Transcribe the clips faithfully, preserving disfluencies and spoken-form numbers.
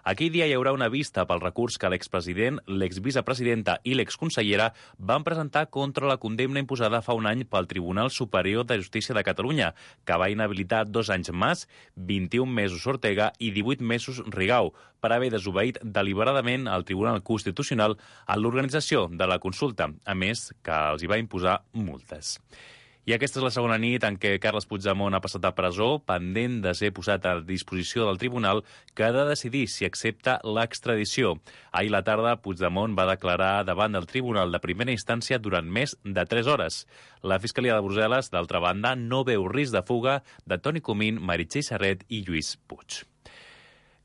Aquell dia hi haurà una vista pel recurs que l'expresident, l'exvicepresidenta i l'exconsellera van presentar contra la condemna imposada fa un any pel Tribunal Superior de Justícia de Catalunya, que va inhabilitar dos anys Mas, vint-i-un mesos Ortega i divuit mesos Rigau, per haver desobeït deliberadament al Tribunal Constitucional en l'organització de la consulta, a més que els hi va imposar multes. I aquesta és la segona nit en què Carles Puigdemont ha passat a presó, pendent de ser posat a disposició del tribunal, que ha de decidir si accepta l'extradició. Ahir a la tarda, Puigdemont va declarar davant del tribunal de primera instància durant més de tres hores. La Fiscalia de Brussel·les, d'altra banda, no veu risc de fuga de Toni Comín, Meritxell Serret i Lluís Puig.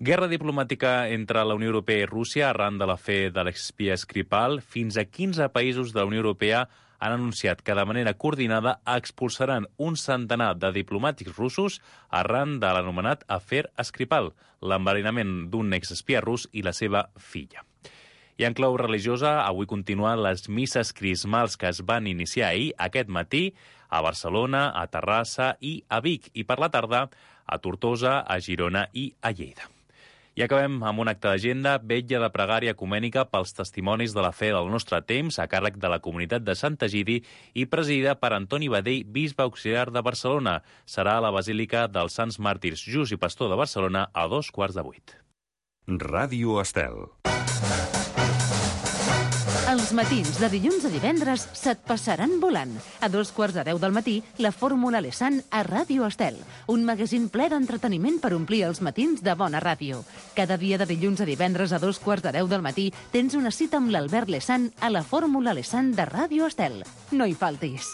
Guerra diplomàtica entre la Unió Europea i Rússia arran de l'afer de l'exespia Skripal. Fins a quinze països de la Unió Europea han anunciat que de manera coordinada expulsaran un centenar de diplomàtics russos arran de l'anomenat afer Skripal, l'enverinament d'un exespia rus i la seva filla. I en clau religiosa, avui continuen les misses crismals que es van iniciar ahir, aquest matí, a Barcelona, a Terrassa i a Vic, i per la tarda a Tortosa, a Girona i a Lleida. I acabem amb un acte d'agenda, vetlla de pregària ecumènica pels testimonis de la fe del nostre temps, a càrrec de la comunitat de Sant Egidi i presidida per Antoni Badell, bisbe auxiliar de Barcelona. Serà a la Basílica dels Sants Màrtirs Just i Pastor de Barcelona a dos quarts de vuit. Ràdio Estel. Els matins de dilluns a divendres se't passaran volant. A dos quarts de deu del matí, la Fórmula Lessan a Ràdio Estel. Un magazín ple d'entreteniment per omplir els matins de bona ràdio. Cada dia de dilluns a divendres a dos quarts de deu del matí tens una cita amb l'Albert Lessan a la Fórmula Lessan de Ràdio Estel. No hi faltis.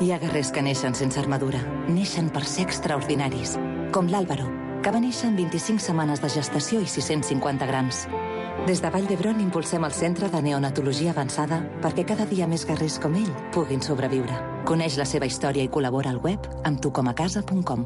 Hi ha guerrers que neixen sense armadura. Neixen per ser extraordinaris. Com l'Àlvaro, que va néixer en vint-i-cinc setmanes de gestació i sis-cents cinquanta grams. Des de Vall d'Hebron impulsem el Centre de Neonatologia Avançada perquè cada dia més guerrers com ell puguin sobreviure. Coneix la seva història i col·labora al web amb tucomacasa punt com.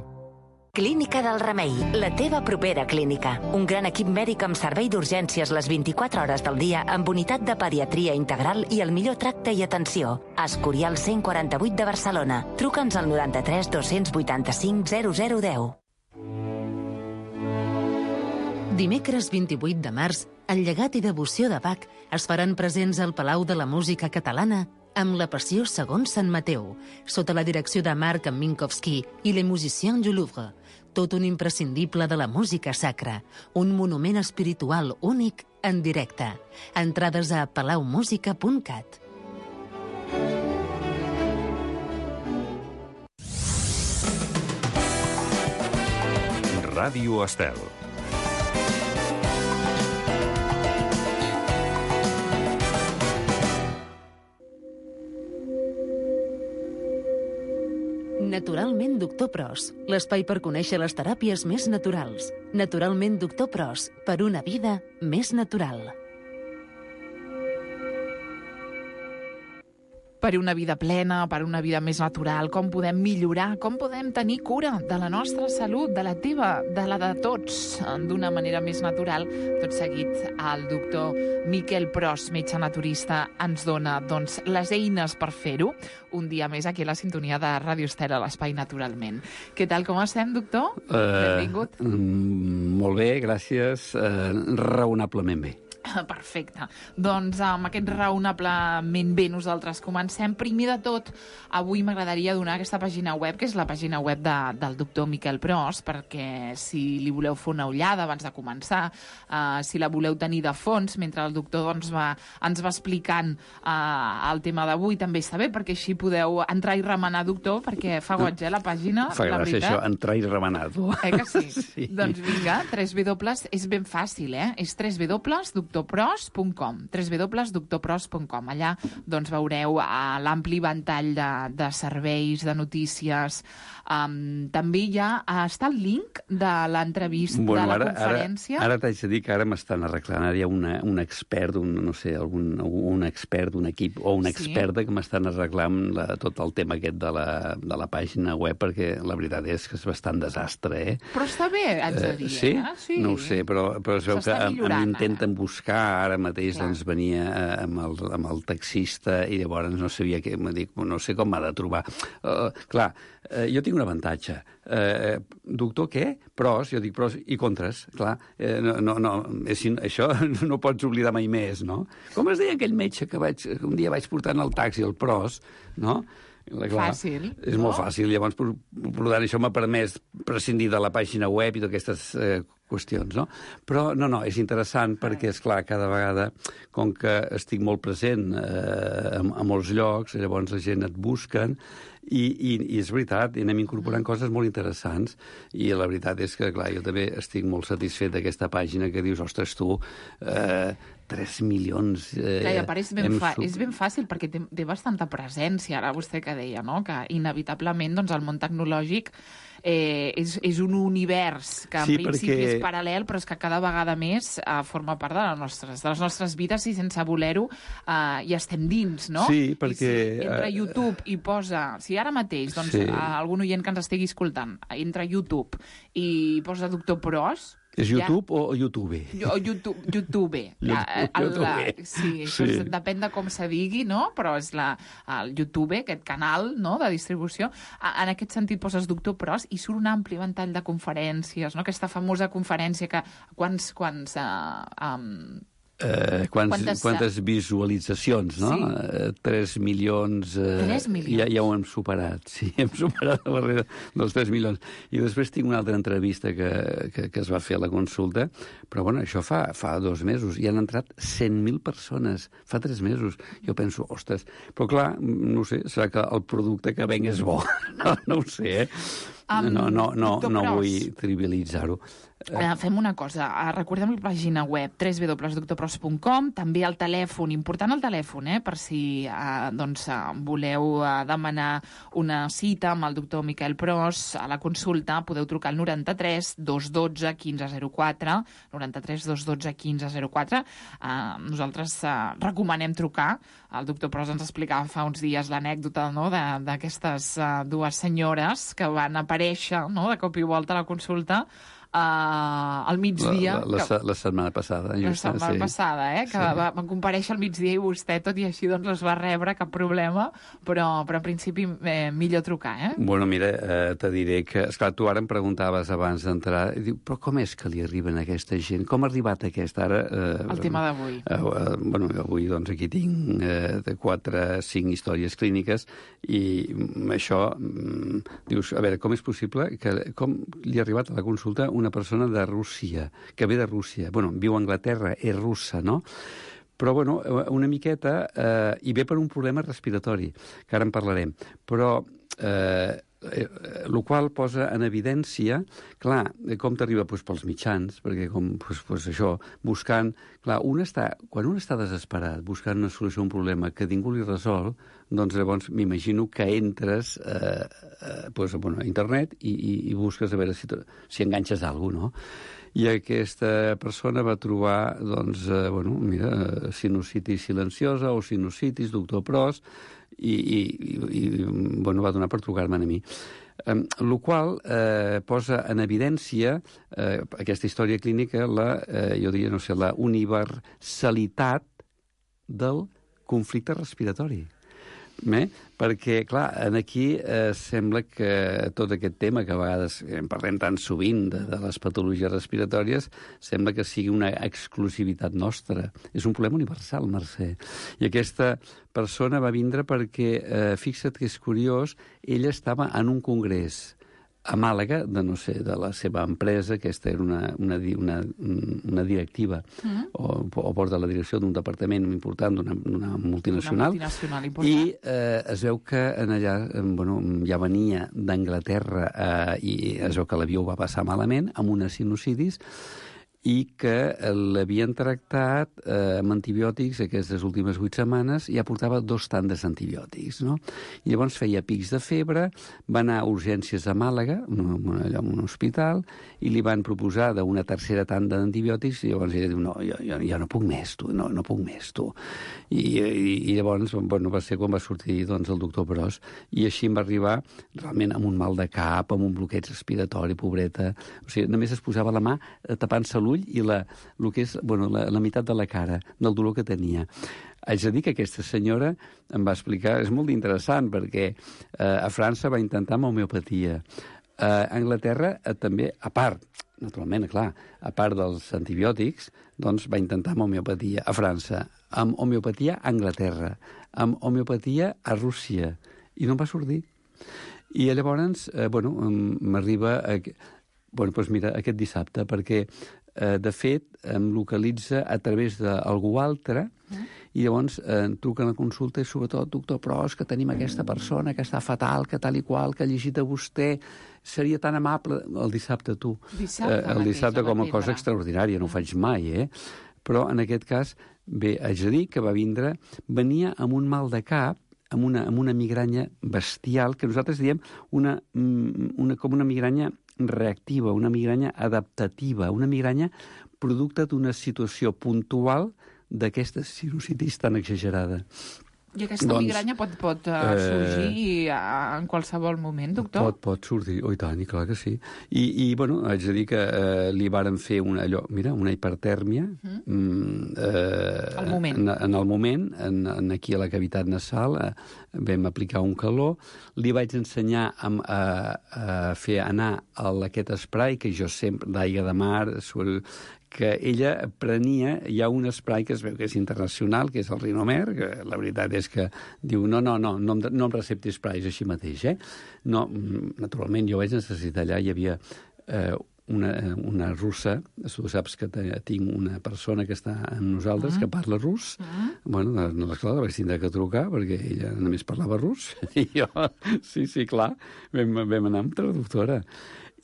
Clínica del Remei, la teva propera clínica. Un gran equip mèdic amb servei d'urgències les vint-i-quatre hores del dia amb unitat de pediatria integral i el millor tracte i atenció. Escorial cent quaranta-vuit de Barcelona. Truca'ns al noranta-tres dos-cents vuitanta-cinc zero zero deu. Dimecres vint-i-vuit de març, el llegat i devoció de Bach es faran presents al Palau de la Música Catalana amb la Passió segons Sant Mateu, sota la direcció de Marc Minkowski i Les Musiciens du Louvre. Tot un imprescindible de la música sacra, un monument espiritual únic en directe. Entrades a palau música punt cat. Ràdio Estel. Naturalment Doctor Pros, l'espai per conèixer les teràpies més naturals. Naturalment Doctor Pros, per una vida més natural. Per una vida plena, per una vida més natural, com podem millorar, com podem tenir cura de la nostra salut, de la teva, de la de tots, d'una manera més natural. Tot seguit, el doctor Miquel Pros, metge naturista, ens dona doncs, les eines per fer-ho. Un dia més aquí a la sintonia de Ràdio Estel a l'Espai Naturalment. Què tal, com estem, doctor? Uh, Benvingut. Mm, molt bé, gràcies. Uh, raonablement bé. Perfecte. Doncs amb aquest raonablement bé nosaltres comencem. Primer de tot, avui m'agradaria donar aquesta pàgina web, que és la pàgina web de, del doctor Miquel Pros, perquè si li voleu fer una ullada abans de començar, uh, si la voleu tenir de fons, mentre el doctor doncs, va, ens va explicant uh, el tema d'avui, també està bé, perquè així podeu entrar i remenar, doctor, perquè fa goig, eh, la pàgina, fa la gràcia veritat. Això, entrar i remenar. Eh que sí? Sí. Doncs vinga, tres W, és ben fàcil, eh? És tres W, doctor doctor pros punt com, w w w punt doctor pros punt com. Allà doncs, veureu uh, l'ampli ventall de, de serveis, de notícies. Um, també hi ha, uh, està el link de l'entrevista, bueno, de la ara, conferència. Ara, ara t'haig de dir que ara m'estan arreglant. Ara hi ha una, un expert, un, no sé, algun, un expert d'un equip o una experta sí. que m'estan arreglant la, tot el tema aquest de la, de la pàgina web, perquè la veritat és que és bastant desastre, eh? Però està bé, haig de dir, uh, sí? eh? Sí? No ho sé, però, però es veu que a, a mi intenten buscar buscar, ara mateix doncs, venia amb el, amb el taxista i llavors no sabia què, dic, no sé com m'ha de trobar. Uh, clar, uh, jo tinc un avantatge. Uh, doctor, què? Pros, jo dic pros i contres, clar. Uh, no, no, no, és, això no pots oblidar mai més, no? Com es deia aquell metge que vaig, un dia vaig portar en el taxi, el pros, no? Clar, fàcil. És no? molt fàcil. Llavors, per, per tant, això m'ha permès prescindir de la pàgina web i d'aquestes eh, qüestions, no? Però, no, no, és interessant perquè, és clar, cada vegada, com que estic molt present eh, a, a molts llocs, llavors la gent et busquen i, i, i és veritat, i anem incorporant coses molt interessants i la veritat és que, clar, jo també estic molt satisfet d'aquesta pàgina que dius, ostres, tu... Eh, tres milions... Eh, Clar, i a part és ben, fa, sub... és ben fàcil perquè té, té bastanta presència, ara vostè que deia, no? Que inevitablement doncs, el món tecnològic eh, és, és un univers que en sí, principi perquè... és paral·lel, però és que cada vegada més eh, forma part de les nostres, de les nostres vides i sense voler-ho eh, hi estem dins, no? Sí, perquè... I si entra a YouTube i posa... Si ara mateix, doncs, sí. algun oient que ens estigui escoltant, entra a YouTube i posa Doctor Pros... És YouTube ja... o YouTube? O YouTube. YouTube. YouTube. El, la, sí, això sí. És, depèn de com se digui, no? Però és la, el YouTube, aquest canal, no?, de distribució. En aquest sentit poses Doctor Pros i surt un ampli ventall de conferències, no? Aquesta famosa conferència que quants... quants uh, um, Eh, quants, quantes, quantes visualitzacions, no? Sí. Eh, tres milions... Eh, tres milions? Ja, ja ho hem superat, sí, hem superat la barrera dels tres milions. I després tinc una altra entrevista que, que, que es va fer a la consulta, però bueno, això fa, fa dos mesos, i han entrat cent mil persones, fa tres mesos. Jo penso, ostres, però clar, no sé, serà que el producte que venc és bo, no, no ho sé, eh? Um, no, no, no, no vull trivialitzar-ho. Uh, fem una cosa, uh, recordem la pàgina web w w w punt doctor pros punt com, també el telèfon, important el telèfon, eh, per si uh, doncs, uh, voleu uh, demanar una cita amb el doctor Miquel Pros a la consulta, podeu trucar al noranta-tres dos dotze quinze zero quatre, noranta-tres dos dotze quinze zero quatre. Uh, nosaltres uh, recomanem trucar. El doctor Pros ens explicava fa uns dies l'anècdota, no?, d'aquestes uh, dues senyores que van aparèixer, no?, de cop i volta a la consulta Uh, al migdia... La, la, la, la setmana passada. La setmana sí. passada, eh? Que sí. va, van comparèixer al migdia i vostè, tot i així, doncs les va rebre, cap problema, però, però en principi eh, millor trucar, eh? Bueno, mira, eh, te diré que... Esclar, tu ara em preguntaves abans d'entrar, i diu, però com és que li arriben a aquesta gent? Com ha arribat aquesta? Ara... Eh, El tema d'avui. Eh, eh, bueno, avui, doncs, aquí tinc eh, de quatre, cinc històries clíniques i això, mm, dius, a veure, com és possible que... Com li ha arribat a la consulta una persona de Rússia, que ve de Rússia. Bueno, viu a Anglaterra, és russa, no? Però, bueno, una miqueta... Eh, i ve per un problema respiratori, que ara en parlarem. Però... Eh, eh, el qual posa en evidència, clar, com t'arriba doncs, pels mitjans, perquè com, doncs, doncs això, buscant... Clar, un està, quan un està desesperat, buscant una solució a un problema que ningú li resol, doncs llavors m'imagino que entres eh, eh, doncs, bueno, a internet i, i, i busques a veure si, si enganxes alguna cosa, no? I aquesta persona va trobar, doncs, eh, bueno, mira, sinusitis silenciosa o sinusitis, doctor Pros, i, i, i, i bueno, va donar per trucar-me a mi. Eh, el qual eh, posa en evidència eh, aquesta història clínica, la, eh, jo diria, no sé, la universalitat del conflicte respiratori. Eh? Perquè, clar, aquí eh, sembla que tot aquest tema, que a vegades en parlem tan sovint de, de les patologies respiratòries, sembla que sigui una exclusivitat nostra. És un problema universal, Mercè. I aquesta persona va vindre perquè, eh, fixa't que és curiós, ella estava en un congrés a Màlaga, de no sé, de la seva empresa, aquesta era una, una, una, una directiva, mm. o, o porta la direcció d'un departament important, d'una multinacional, una multinacional i eh, es veu que en allà, bueno, ja venia d'Anglaterra eh, i es veu que l'avió va passar malament, amb una sinusitis, i que l'havien tractat eh, amb antibiòtics aquestes últimes vuit setmanes i ja portava dos tandes d'antibiòtics, no? I llavors feia pics de febre, va anar a urgències a Màlaga, allà en un hospital, i li van proposar d'una tercera tanda d'antibiòtics i llavors ella diu, no, jo, jo, jo no puc més, tu, no, no puc més, tu. I, i, i llavors, bueno, va ser quan va sortir doncs, el doctor Pros, i així em va arribar realment amb un mal de cap, amb un bloqueig respiratori, pobreta. O sigui, només es posava la mà tapant-se l'ull l'ull i la, el que és, bueno, la, la meitat de la cara, del dolor que tenia. Haig de dir que aquesta senyora em va explicar, és molt interessant, perquè eh, a França va intentar amb homeopatia. A Anglaterra eh, també, a part, naturalment, clar, a part dels antibiòtics, doncs va intentar amb homeopatia a França, amb homeopatia a Anglaterra, amb homeopatia a Rússia, i no em va sortir. I llavors, eh, bueno, m'arriba... A... Bueno, doncs mira, aquest dissabte, perquè, eh, de fet, em localitza a través d'algú altre, mm. i llavors eh, em truquen a consulta i sobretot, doctor Pros, que tenim aquesta persona que està fatal, que tal i qual, que ha llegit a vostè, seria tan amable... El dissabte, tu. Dissabte, eh, el dissabte com a cosa extraordinària, no ho faig mai, eh? Però en aquest cas, bé, haig de dir que va vindre, venia amb un mal de cap, amb una, amb una migranya bestial, que nosaltres diem una, una, com una migranya reactiva, una migranya adaptativa, una migranya producte d'una situació puntual d'aquesta sinusitis tan exagerada. I aquesta doncs, migranya pot, pot uh, sorgir uh, en qualsevol moment, doctor? Pot, pot sortir, oh, i tant, i clar que sí. I, i bueno, haig de dir que uh, li varen fer una, allò, mira, una hipertèrmia mm. uh, al moment. En, en el moment, en, en aquí a la cavitat nasal, uh, vam aplicar un calor, li vaig ensenyar a, a, a fer anar el, aquest spray, que jo sempre, d'aigua de mar, que ella prenia, hi ha un spray que es veu que és internacional, que és el Rinomer, que la veritat és que diu, no, no, no, no, no em recepti sprays així mateix, eh? No, naturalment, jo vaig necessitar allà, hi havia eh, una, una russa, tu saps que tinc una persona que està amb nosaltres, mm. que parla rus, mm. bueno, no, esclar, la vaig tindre que trucar, perquè ella només parlava rus, i jo, sí, sí, clar, vam, vam anar amb traductora.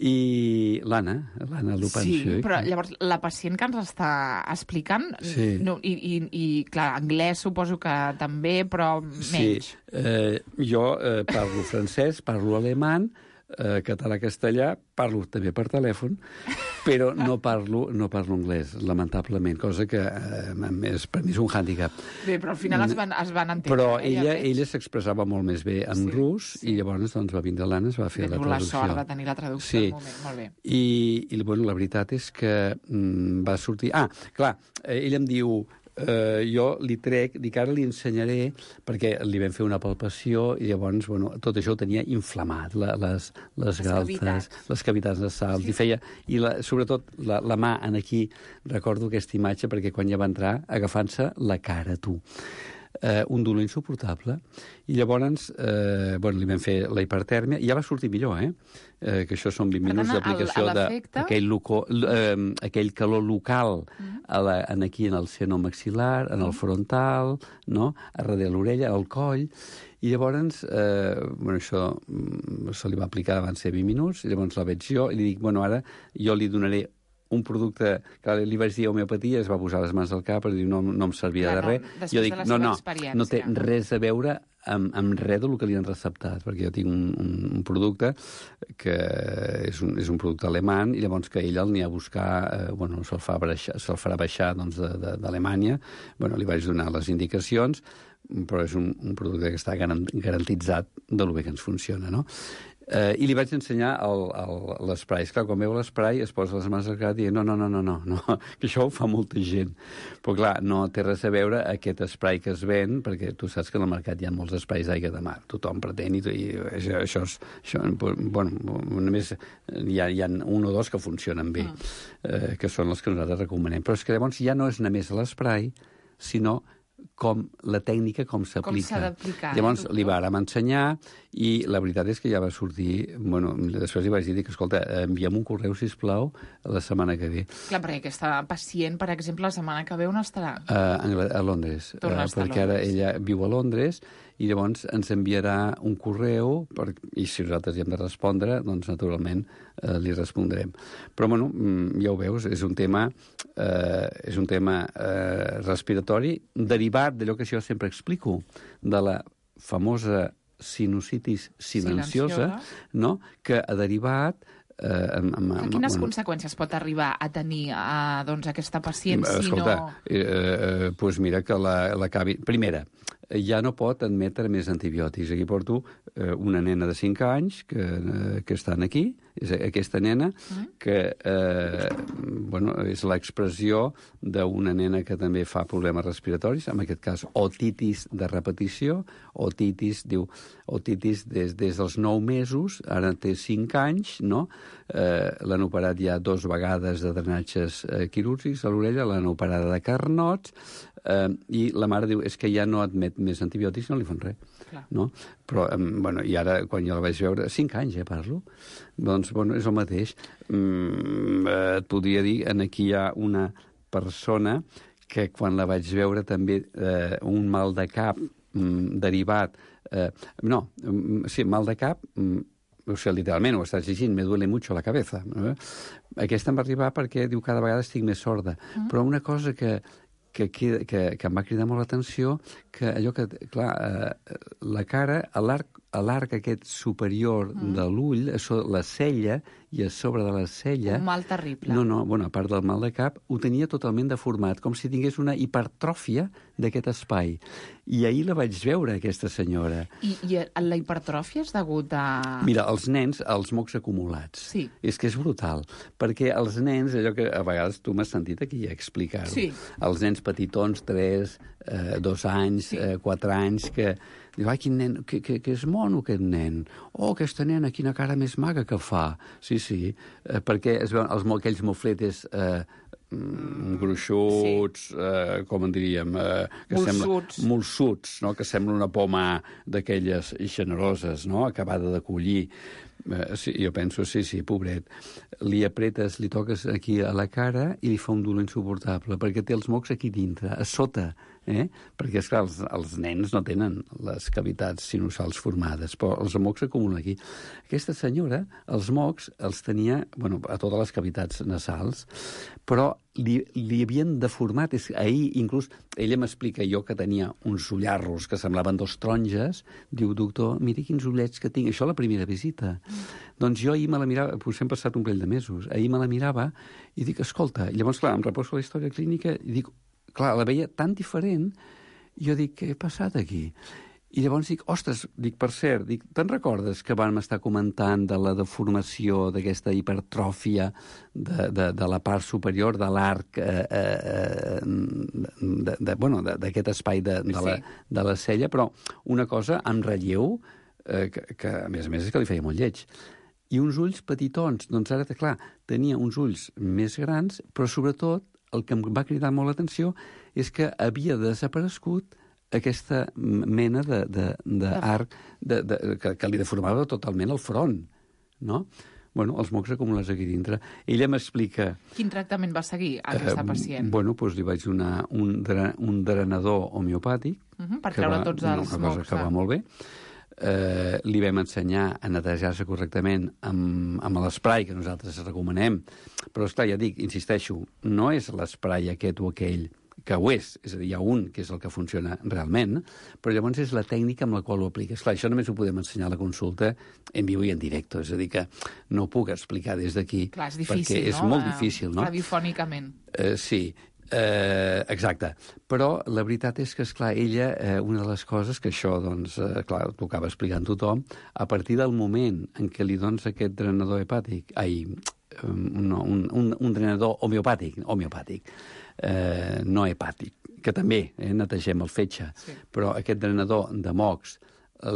I l'Anna, l'Anna Lupancio. Sí, però llavors la pacient que ens està explicant, sí. no, i, i, i clar, anglès suposo que també, però menys. Sí, eh, jo eh, parlo francès, parlo alemany, eh, català-castellà, parlo també per telèfon, però no parlo, no parlo anglès, lamentablement, cosa que eh, és, per mi és un hàndicap. Bé, però al final es van, es van entendre. Però eh, ella, ella s'expressava molt més bé en sí, rus, sí. I llavors doncs, va vindre l'Anna, es va fer Bé, la traducció. La sort de tenir la traducció sí. al moment, molt bé. I, i bueno, la veritat és que mm, va sortir... Ah, clar, eh, ella em diu... Uh, jo li trec, dic, ara li ensenyaré, perquè li vam fer una palpació i llavors, bueno, tot això ho tenia inflamat, la, les, les, les galtes, cavitats. les cavitats nasals, sí. i feia, i la, sobretot la, la mà en aquí, recordo aquesta imatge, perquè quan ja va entrar, agafant-se la cara, tu. Uh, un dolor insuportable, i llavors eh, bueno, li vam fer la hipertèrmia, i ja va sortir millor, eh? eh que això són vint minuts d'aplicació d'aquell eh, aquell calor local mm. a la, en aquí en el seno maxil·lar, en el frontal, no? A darrere l'orella, al coll, i llavors eh, bueno, això se li va aplicar, van ser vint minuts, i llavors la veig jo, i li dic, bueno, ara jo li donaré un producte, que li vaig dir homeopatia, es va posar les mans al cap, i diu, no, no em servia Clar, de res. No, jo dic, no, no, no té res a veure amb, amb res del que li han receptat, perquè jo tinc un, un, un producte que és un, és un producte alemany, i llavors que ell el n'hi ha a buscar, eh, bueno, se'l fa baixar, se'l farà baixar doncs, d'Alemanya, bueno, li vaig donar les indicacions, però és un, un producte que està garantitzat de lo bé que ens funciona, no? Eh, I li vaig ensenyar l'esprai. Esclar, quan veu l'esprai es posa les mans al cap i diu, no, no, no, no, no, no, que això ho fa molta gent. Però clar, no té res a veure aquest esprai que es ven, perquè tu saps que en el mercat hi ha molts esprais d'aigua de mar. Tothom pretén, i, i això, això, és, això, bueno, només hi ha, hi ha un o dos que funcionen bé, eh, que són els que nosaltres recomanem. Però és que llavors ja no és només l'esprai, sinó com la tècnica, com s'aplica. Com s'ha d'aplicar. Llavors, eh, li vàrem ensenyar, i la veritat és que ja va sortir... Bueno, després li vaig dir que, escolta, enviem un correu, sisplau, la setmana que ve. Clar, perquè aquesta pacient, per exemple, la setmana que ve on estarà? Uh, a Londres. Uh, perquè ara ella viu a Londres, i llavors ens enviarà un correu, per, i si nosaltres hi hem de respondre, doncs, naturalment, eh, li respondrem. Però, bueno, ja ho veus, és un tema, eh, és un tema eh, respiratori, derivat d'allò que jo sempre explico, de la famosa sinusitis silenciosa, silenciosa. No? Que ha derivat... Eh, amb, amb, amb, Quines bueno, conseqüències pot arribar a tenir a, doncs, aquesta pacient escolta, si no... Eh, eh, doncs mira que la, la cavi... Primera, ja no pot admetre més antibiòtics. Aquí porto eh, una nena de cinc anys que, eh, que estan aquí, És aquesta nena que eh, bueno, és l'expressió d'una nena que també fa problemes respiratoris, en aquest cas otitis de repetició, otitis, diu, otitis des, des dels nou mesos, ara té cinc anys, no? Eh, l'han operat ja dos vegades de drenatges eh, quirúrgics a l'orella, l'han operada de carnots, eh, i la mare diu, és que ja no admet més antibiòtics, no li fan res. Clar. No? Però, eh, bueno, i ara, quan jo la vaig veure, cinc anys, eh, parlo, doncs, bueno, és el mateix. Mm, eh, et podria dir, aquí hi ha una persona que quan la vaig veure també eh, un mal de cap mm, derivat, eh, no, mm, sí, mal de cap, mm, o sigui, literalment, ho estàs llegint, me duele mucho la cabeza. Eh? Aquesta em va arribar perquè, diu, cada vegada estic més sorda. Mm. Però una cosa que, que, que, que, que em va cridar molt l'atenció, que allò que, clar, eh, la cara, a l'arc a l'arc aquest superior mm. de l'ull, la cella, i a sobre de la cella... Un mal terrible. No, no, bueno, a part del mal de cap, ho tenia totalment deformat, com si tingués una hipertròfia d'aquest espai. I ahir la vaig veure, aquesta senyora. I, i la hipertròfia és degut a... Mira, els nens, els mocs acumulats. Sí. És que és brutal, perquè els nens, allò que a vegades tu m'has sentit aquí explicar-ho, sí. Els nens petitons, tres, eh, dos anys, sí. eh, quatre anys, que... Diu, ai, quin nen, que, que, que és mono, aquest nen. Oh, aquesta nena, quina cara més maga que fa. Sí, sí, eh, perquè es veuen els, aquells mofletes eh, mm, gruixuts, sí. eh, com en diríem... Eh, que molsuts. Sembla, molsuts, no? Que sembla una poma d'aquelles generoses, no? Acabada de collir. Eh, sí, jo penso, sí, sí, pobret. Li apretes, li toques aquí a la cara i li fa un dolor insuportable, perquè té els mocs aquí dintre, a sota. Eh? Perquè, esclar, els, els nens no tenen les cavitats sinusals formades, però els mocs s'acumulen aquí. Aquesta senyora, els mocs, els tenia, bueno, a totes les cavitats nasals, però li, li havien deformat. És, ahir, inclús, ella m'explica, jo que tenia uns ullarros que semblaven dos taronges, diu, doctor, miri quins ullets que tinc. Això a la primera visita. Mm. Doncs jo ahir me la mirava, potser hem passat un parell de mesos, ahir me la mirava i dic, escolta, i llavors, clar, em reposo la història clínica i dic, clar, la veia tan diferent, i jo dic, què ha passat aquí? I llavors dic, ostres, dic, per cert, dic, te'n recordes que vam estar comentant de la deformació, d'aquesta hipertròfia de, de, de la part superior de l'arc, eh, eh, de, de, bueno, d'aquest espai de, de, la, de la cella, però una cosa en relleu, eh, que, que a més a més és que li feia molt lleig. I uns ulls petitons, doncs ara, clar, tenia uns ulls més grans, però sobretot el que em va cridar molt l'atenció és que havia desaparegut aquesta mena d'arc de, de, de, de, que, que li deformava totalment el front, no? Bueno, els mocs acumulats aquí dintre. Ella m'explica... Quin tractament va seguir aquesta eh, pacient? Bueno, doncs li vaig donar un, dre, un drenador homeopàtic. Uh -huh, per treure va, tots els una mocs. Una cosa que va molt bé. Eh, li vam ensenyar a netejar-se correctament amb, amb l'esprai que nosaltres recomanem. Però, esclar, ja dic, insisteixo, no és l'esprai aquest o aquell, que ho és, és a dir, hi ha un que és el que funciona realment, però llavors és la tècnica amb la qual ho apliques. Clar, això només ho podem ensenyar a la consulta en viu i en directe, és a dir, que no ho puc explicar des d'aquí. Clar, és difícil, perquè és no? molt difícil, no? Radiofònicament. Eh, sí, Eh, exacte. Però la veritat és que, esclar, ella, eh, una de les coses que això, doncs, eh, clar, t'ho acaba explicant tothom, a partir del moment en què li dones aquest drenador hepàtic, ai, no, un, un, un drenador homeopàtic, homeopàtic, eh, no hepàtic, que també eh, netegem el fetge, sí. Però aquest drenador de mocs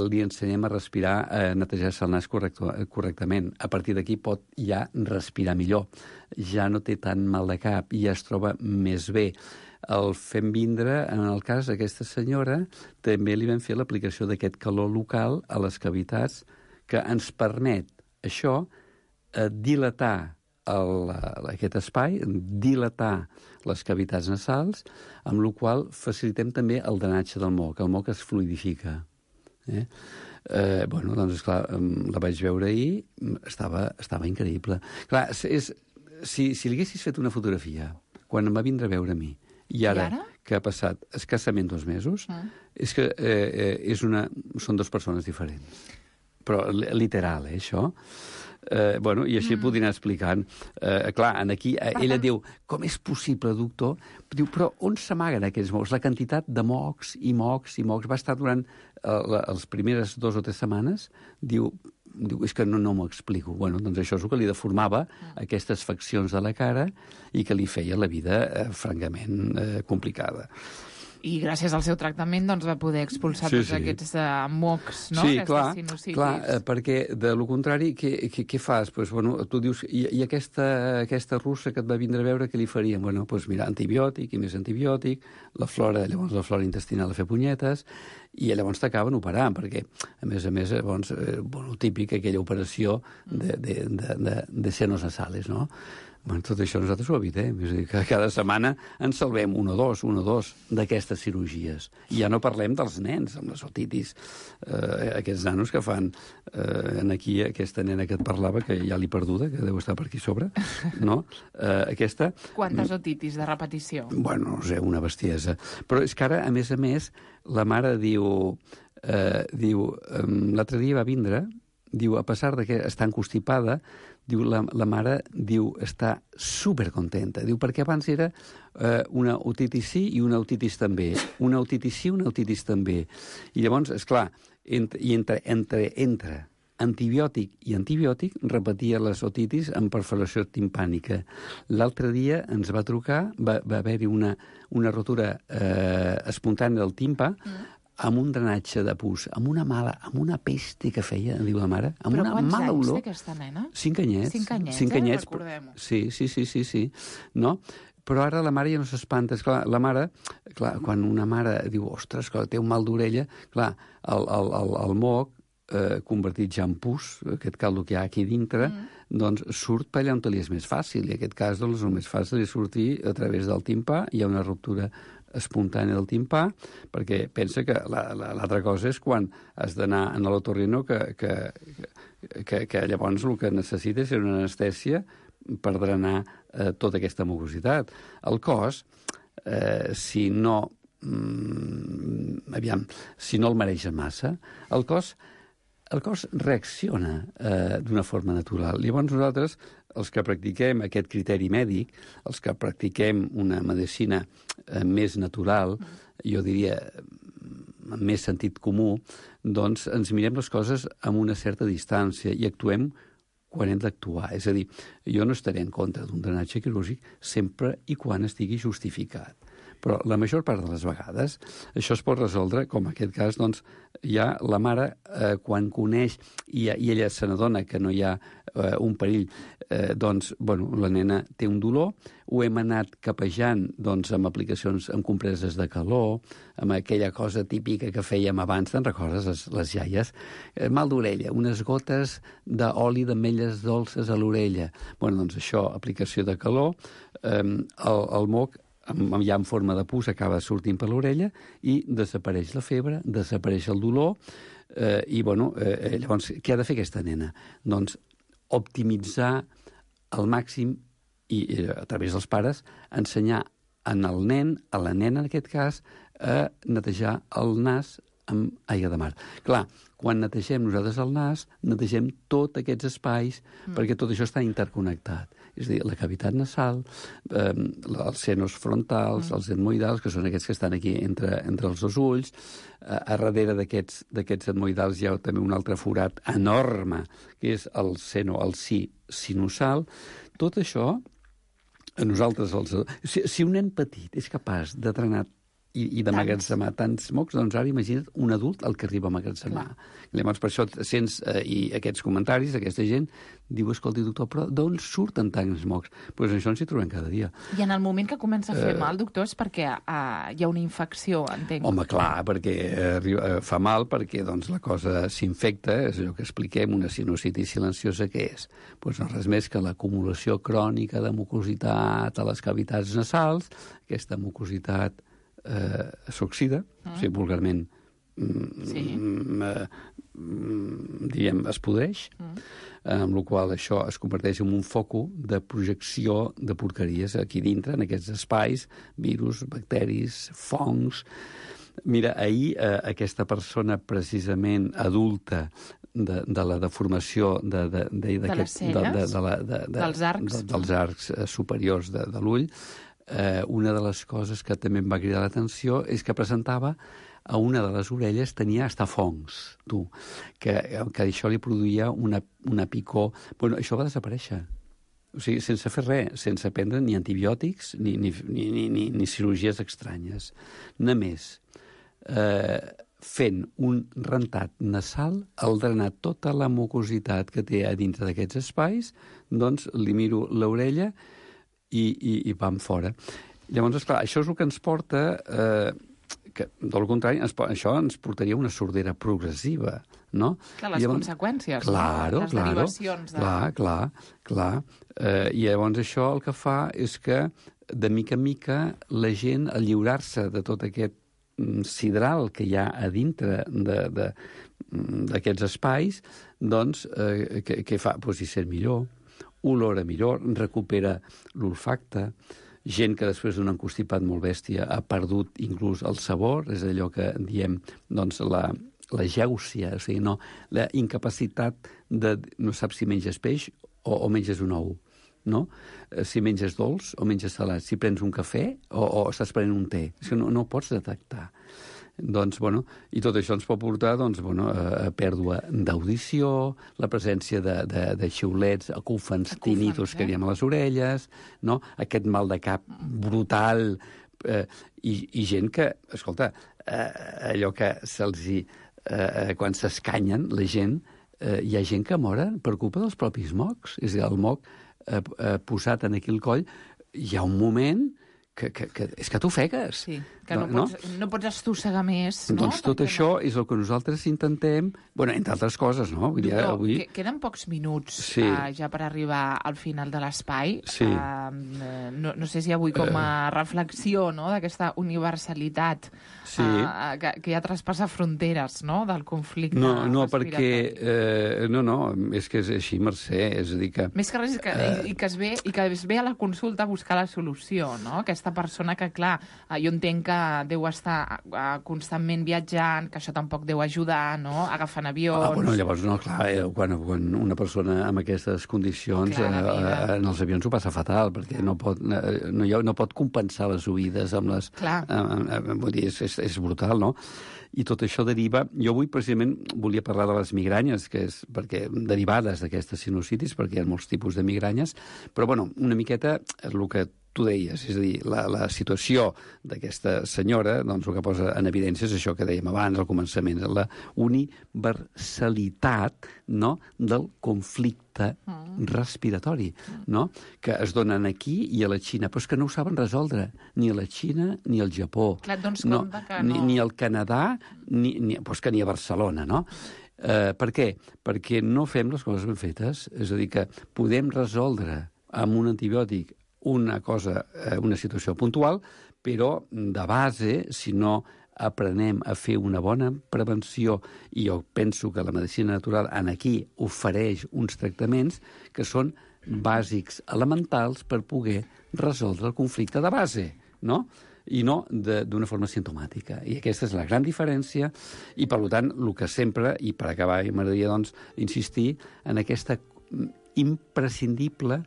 li ensenyem a respirar, a netejar-se el nas correcto, correctament. A partir d'aquí pot ja respirar millor. Ja no té tant mal de cap i ja es troba més bé. El fem vindre, en el cas d'aquesta senyora, també li vam fer l'aplicació d'aquest calor local a les cavitats que ens permet, això, eh, dilatar el, aquest espai, dilatar les cavitats nasals, amb la qual facilitem també el drenatge del moc. El moc es fluidifica. Eh? Eh, bueno, doncs, esclar, la vaig veure ahir, estava, estava increïble. Clar, és, si, si li haguessis fet una fotografia, quan em va vindre a veure a mi, i ara, I ara? que ha passat escassament dos mesos, mm. és que eh, és una, són dues persones diferents. Però literal, eh, això? Eh, bueno, i així mm. podria anar explicant. Eh, clar, aquí eh, ella diu, com és possible, doctor? Diu, però on s'amaguen aquests mocs? La quantitat de mocs i mocs i mocs va estar durant eh, les primeres dues o tres setmanes, diu, diu, és que no, no m'ho explico. Bueno, doncs això és el que li deformava aquestes faccions de la cara i que li feia la vida eh, francament eh, complicada. I gràcies al seu tractament doncs, va poder expulsar sí, tots sí. aquests uh, mocs, no? Sí, Aquestes clar, sinusitis. clar, eh, perquè de lo contrari, què, què, què fas? Pues, bueno, tu dius, i, i aquesta, aquesta russa que et va vindre a veure, què li farien? Bueno, pues, mira, antibiòtic i més antibiòtic, la flora, llavors la flora intestinal a fer punyetes, i llavors t'acaben operant, perquè, a més a més, llavors, eh, bueno, típic, aquella operació de, de, de, de, de senos nasales, no? Bueno, tot això nosaltres ho evitem. És a dir, que cada setmana ens salvem un o dos, un o dos d'aquestes cirurgies. I ja no parlem dels nens, amb les otitis. Eh, aquests nanos que fan... Eh, en aquí, aquesta nena que et parlava, que ja l'he perduda, que deu estar per aquí sobre, no? Eh, aquesta... Quantes otitis de repetició? Bueno, no sé, una bestiesa. Però és que ara, a més a més, la mare diu... Eh, diu um, l'altre dia va vindre, diu, a pesar de que està encostipada, diu, la, la mare diu, està supercontenta. Diu, perquè abans era eh, una otitis sí i una otitis també. Una otitis sí, una otitis també. I llavors, esclar, entre, i entre, entre, entre antibiòtic i antibiòtic repetia les otitis amb perforació timpànica. L'altre dia ens va trucar, va, va haver-hi una, una rotura eh, espontània del timpà, mm. amb un drenatge de pus, amb una mala, amb una peste que feia, diu la mare, amb però una quants mala anys olor. té aquesta nena? Cinc anyets. Cinc anyets, Cinc eh? anyets, Recordem-ho. Sí, sí, sí, sí, sí. No? Però ara la mare ja no s'espanta. Esclar, la mare, clar, quan una mare diu, ostres, clar, té un mal d'orella, clar, el, el, el, el moc, eh, convertit ja en pus, aquest caldo que hi ha aquí dintre, mm. doncs surt per allà on li és més fàcil. I en aquest cas, doncs, el més fàcil és sortir a través del timpà, hi ha una ruptura espontània del timpà, perquè pensa que l'altra la, la, cosa és quan has d'anar a l'otorrino que, que, que, que llavors el que necessita és una anestèsia per drenar eh, tota aquesta mucositat. El cos, eh, si no mm, aviam, si no el mareja massa, el cos el cos reacciona eh, d'una forma natural. Llavors nosaltres, els que practiquem aquest criteri mèdic, els que practiquem una medicina eh, més natural, jo diria amb més sentit comú, doncs ens mirem les coses amb una certa distància i actuem quan hem d'actuar. És a dir, jo no estaré en contra d'un drenatge quirúrgic sempre i quan estigui justificat. Però la major part de les vegades això es pot resoldre, com en aquest cas, doncs, ja la mare, eh, quan coneix i, i ella se n'adona que no hi ha eh, un perill, eh, doncs, bueno, la nena té un dolor, ho hem anat capejant, doncs, amb aplicacions, amb compreses de calor, amb aquella cosa típica que fèiem abans, te'n recordes, les, les iaies? Eh, mal d'orella, unes gotes d'oli d'ametlles dolces a l'orella. Bueno, doncs això, aplicació de calor, eh, el, el moc, ja en forma de pus, acaba sortint per l'orella i desapareix la febre, desapareix el dolor eh, i, bueno, eh, llavors, què ha de fer aquesta nena? Doncs optimitzar al màxim i, eh, a través dels pares, ensenyar en el nen, a la nena en aquest cas, a netejar el nas amb aigua de mar. Clar, quan netegem nosaltres el nas, netegem tots aquests espais, mm. perquè tot això està interconnectat. És a dir, la cavitat nasal, eh, els senos frontals, mm. els etmoidals, que són aquests que estan aquí entre, entre els dos ulls. Eh, a darrere d'aquests etmoidals hi ha també un altre forat enorme, que és el seno, el si sinusal. Tot això, a nosaltres... Els, si, si un nen petit és capaç de drenar i, i de magatzemar tants mocs, doncs ara imagina't un adult el que arriba a magatzemar. Llavors, per això sents eh, i aquests comentaris, aquesta gent diu, escolti, doctor, però d'on surten tants mocs? Doncs pues això ens hi trobem cada dia. I en el moment que comença a fer eh... mal, doctor, és perquè eh, hi ha una infecció, entenc. Home, clar, perquè eh, fa mal, perquè doncs, la cosa s'infecta, és allò que expliquem, una sinusitis silenciosa, què és? Doncs no res més que l'acumulació crònica de mucositat a les cavitats nasals, aquesta mucositat eh, s'oxida, mm. o sigui, vulgarment mm, sí. mm, mm, diguem, es podreix, mm. amb la qual això es converteix en un foco de projecció de porqueries aquí dintre, en aquests espais, virus, bacteris, fongs. Mira, ahir eh, aquesta persona precisament adulta de, de la deformació de, de, de, de les celles, de, de, de la, de, de, dels arcs, de, dels arcs eh, superiors de, de l'ull, eh, una de les coses que també em va cridar l'atenció és que presentava a una de les orelles tenia hasta fongs, tu, que, que això li produïa una, una picor. Bueno, això va desaparèixer. O sigui, sense fer res, sense prendre ni antibiòtics ni, ni, ni, ni, ni, ni cirurgies estranyes. Només eh, fent un rentat nasal, al drenar tota la mucositat que té a dintre d'aquests espais, doncs li miro l'orella i, i, i vam fora. Llavors, esclar, això és el que ens porta... Eh, que, del contrari, ens, això ens portaria una sordera progressiva, no? Clar, les llavors, conseqüències, claro, no? Les claro, derivacions. De... Clar, clar, clar. Eh, I llavors això el que fa és que, de mica en mica, la gent, al lliurar-se de tot aquest sidral que hi ha a dintre d'aquests espais, doncs, eh, què, què fa? Pues hi sent millor, olora millor, recupera l'olfacte, gent que després d'un encostipat molt bèstia ha perdut inclús el sabor, és allò que diem, doncs, la, la gèusia, o sigui, no, la incapacitat de... no saps si menges peix o, o menges un ou, no? Si menges dolç o menges salat, si prens un cafè o, o estàs prenent un té. És que no, no ho pots detectar. Doncs, bueno, i tot això ens pot portar, doncs, bueno, a, a pèrdua d'audició, la presència de, de, de xiulets, acúfens tinnitus, eh? Que diem a les orelles, no? Aquest mal de cap brutal, eh, i, i gent que, escolta, eh, allò que se'ls hi... Eh, quan s'escanyen, la gent, eh, hi ha gent que mora per culpa dels propis mocs. És a dir, el moc eh, eh, posat en aquí el coll, hi ha un moment... Que, que, que és que t'ofegues. Sí, que no, no, pots, no? no pots estossegar més, no? Doncs tot Perquè això no... és el que nosaltres intentem, bueno, entre altres coses, no? Vull dir, Doctor, avui... queden pocs minuts sí. uh, ja per arribar al final de l'espai. Sí. Uh, no, no sé si avui com a uh... reflexió, no?, d'aquesta universalitat sí. uh, que, que ja traspassa fronteres, no?, del conflicte No, no, respiratori. perquè... Eh, no, no, és que és així, Mercè, és a dir que... Més que res, que, uh... i, que es ve, i que es ve a la consulta a buscar la solució, no?, aquesta persona que, clar, jo entenc que deu estar constantment viatjant, que això tampoc deu ajudar, no?, agafant avions... Ah, bueno, llavors, no, clar, eh, quan, quan una persona amb aquestes condicions clar, eh, en els avions ho passa fatal, perquè no pot, no, no pot compensar les oïdes amb les... Clar. Eh, eh, vull dir, és, és, és brutal, no? I tot això deriva... Jo avui, precisament, volia parlar de les migranyes, que és perquè derivades d'aquestes sinusitis, perquè hi ha molts tipus de migranyes, però, bueno, una miqueta és el que tu deies, és a dir, la, la situació d'aquesta senyora, doncs el que posa en evidència és això que dèiem abans, al començament, la universalitat, no?, del conflicte mm. respiratori, no?, que es donen aquí i a la Xina, però és que no ho saben resoldre, ni a la Xina ni al Japó. Clar, doncs no, que no. Ni, ni al Canadà, ni, ni, doncs que ni a Barcelona, no? Eh, per què? Perquè no fem les coses ben fetes, és a dir, que podem resoldre amb un antibiòtic una cosa, una situació puntual, però de base, si no aprenem a fer una bona prevenció, i jo penso que la medicina natural en aquí ofereix uns tractaments que són bàsics, elementals, per poder resoldre el conflicte de base, no? I no d'una forma simptomàtica. I aquesta és la gran diferència, i per tant, el que sempre, i per acabar, m'agradaria doncs insistir en aquesta imprescindible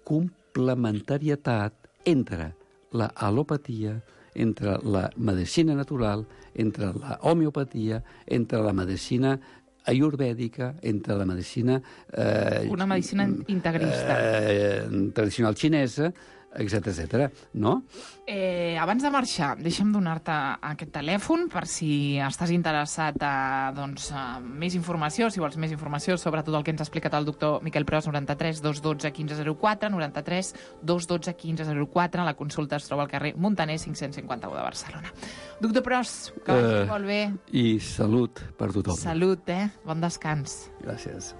complementarietat entre la alopatia, entre la medicina natural, entre la homeopatia, entre la medicina ayurvèdica, entre la medicina... Eh, Una medicina integrista. Eh, tradicional xinesa, etcètera, etcètera, no? Eh, abans de marxar, deixa'm donar-te aquest telèfon per si estàs interessat a, doncs, a més informació, si vols més informació sobre tot el que ens ha explicat el doctor Miquel Pros, noranta-tres dos dotze quinze zero quatre, noranta-tres dos dotze quinze zero quatre, la consulta es troba al carrer Montaner cinc-cents cinquanta-u de Barcelona. Doctor Pros, que vagi uh, molt bé. I salut per tothom. Salut, eh? Bon descans. Gràcies.